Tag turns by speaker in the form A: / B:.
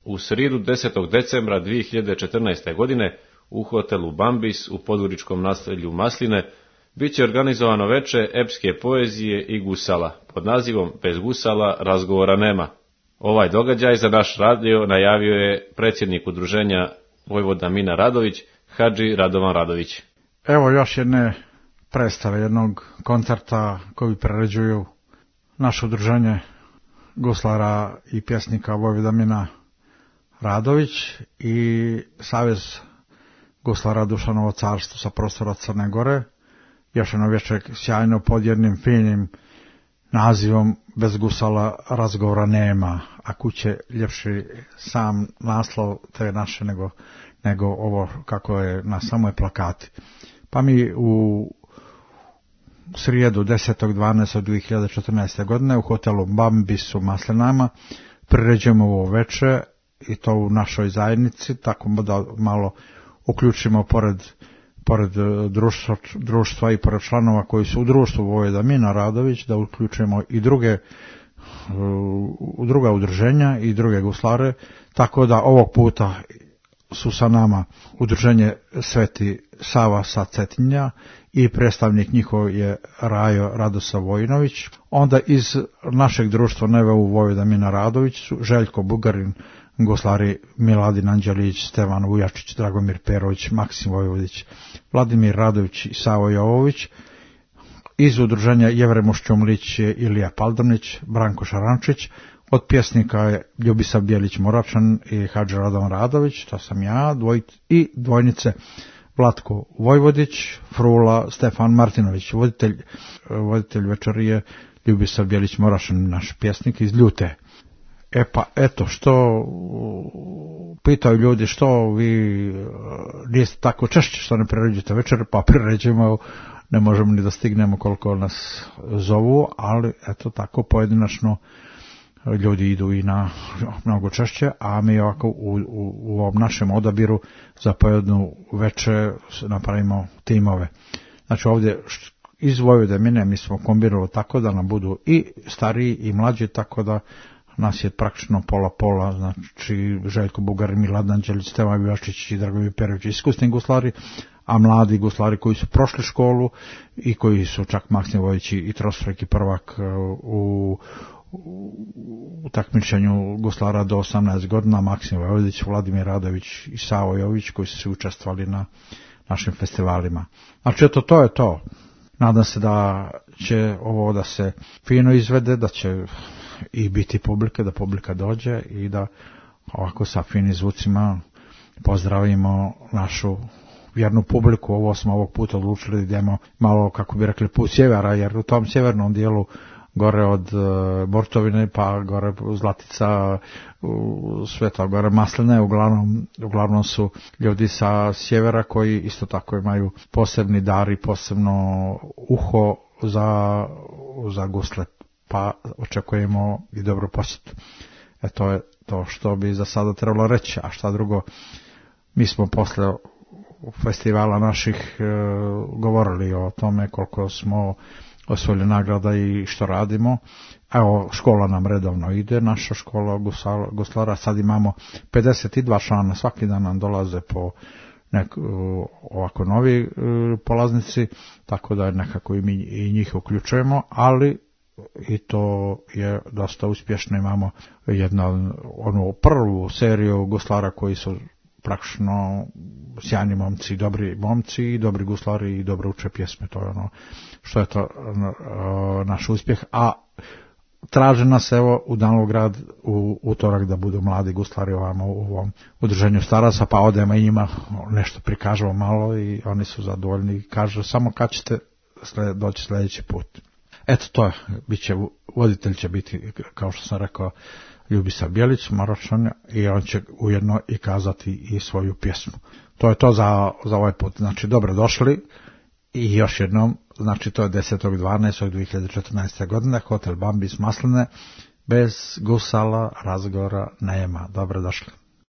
A: U srijedu 10. decembra 2014. godine u hotelu Bambis u podgoričkom naselju Masline bit će organizovano veče epske poezije i gusala pod nazivom Bez gusala razgovora nema. Ovaj događaj za naš radio najavio je predsjednik udruženja Vojvoda Mina Radović, Hadži Radovan Radović.
B: Evo još jedne predstave, jednog koncerta koji priređuju naše udruženje guslara i pjesnika Vojvoda Mina Radović i Savez guslara Dušanovo carstvo sa prostora Crne Gore. Još jedno večer sjajno pod jednim finim nazivom Bez gusala razgovora nema, a kuće ljepši sam naslov te naše nego ovo kako je na samoj plakati. Pa mi u srijedu 10.12.2014. godine u hotelu Bambis u Maslinama priređujemo ovo veče i to u našoj zajednici, tako da malo uključimo pored društva i pored članova koji su u društvu Vojvoda Mina Radović, da uključimo i druga udruženja i druge guslare, tako da ovog puta su sa nama udruženje Sveti Sava sa Cetinja i predstavnik njihov je Rajo Radosa Vojinović. Onda iz našeg društva NVU Vojvoda Mina Radović su Željko Bugarin, guslari Miladin Anđelić, Stevan Vujačić, Dragomir Perović, Maksim Vojvodić, Vladimir Radović i Savo Jovović. Iz udruženja Jevrem Mošćumlić je Ilija Paldanić, Branko Šarančić. Od pjesnika je Ljubisav Bjelić Moravčan i Hadži Radovan Radović, to sam ja, i dvojnice Vlatko Vojvodić, Frula Stefan Martinović. Voditelj večeri je Ljubisav Bjelić Moravčan, naš pjesnik iz Ljute. Pa eto, što pitaju ljudi, što vi niste tako češće što ne priređujete večer, pa priređujemo, ne možemo ni da stignemo koliko nas zovu, ali eto tako pojedinačno ljudi idu i na mnogo češće, a mi ovako u ovom našem odabiru za pojedinu večer napravimo timove. Znači ovdje iz Vojvode Mine mi smo kombinirali tako da nam budu i stariji i mlađi, tako da nas je praktično pola, znači Željko Bugarin, Miladin Anđelić, Stevan Vujačić i Dragomir Perović iskusni guslari, a mladi guslari koji su prošli školu i koji su čak Maksim Vojvodić i trostruki prvak u takmičenju guslara do 18 godina, Maksim Vojvodić, Vladimir Radović i Savo Jović koji su učestvovali na našim festivalima. Znači eto, to je to. Nadam se da će ovo da se fino izvede, da će i biti publike, da publika dođe i da ovako sa finim zvucima pozdravimo našu vjernu publiku. Ovo smo ovog puta odlučili da idemo malo, kako bi rekli, put sjevera, jer u tom sjevernom dijelu gore od Bortovine pa gore Zlatica, Sveta gore Masline, uglavnom su ljudi sa sjevera koji isto tako imaju posebni dar i posebno uho za gusle, pa očekujemo i dobro posjetu. To je to što bi za sada trebalo reći, a šta drugo, mi smo posle festivala naših govorili o tome koliko smo osvojili nagrada i što radimo. Evo, škola nam redovno ide, naša škola guslara, sad imamo 52 člana, svaki dan nam dolaze po ovako novi polaznici, tako da nekako i njih uključujemo, ali i to je dosta uspješno. Imamo onu prvu seriju guslara koji su praktično sjajni momci, dobri momci i dobri guslari i dobro uče pjesme. To je ono što je to naš uspjeh, a traže nas evo u Danilograd u utorak da budu mladi guslari ovamo u ovom udruženju staraca, pa odemo i njima nešto prikažemo malo i oni su zadovoljni i kažu samo kad ćete doći sljedeći put. Eto, to je, voditelj će biti, kao što sam rekao, Ljubisav Bjelić Moravčan, i on će ujedno i kazati i svoju pjesmu. To je to za ovaj put. Znači, dobro došli i još jednom, znači to je 10.12.2014. godine, hotel Bambis Masline, bez gusala razgovora nema. Dobro došli.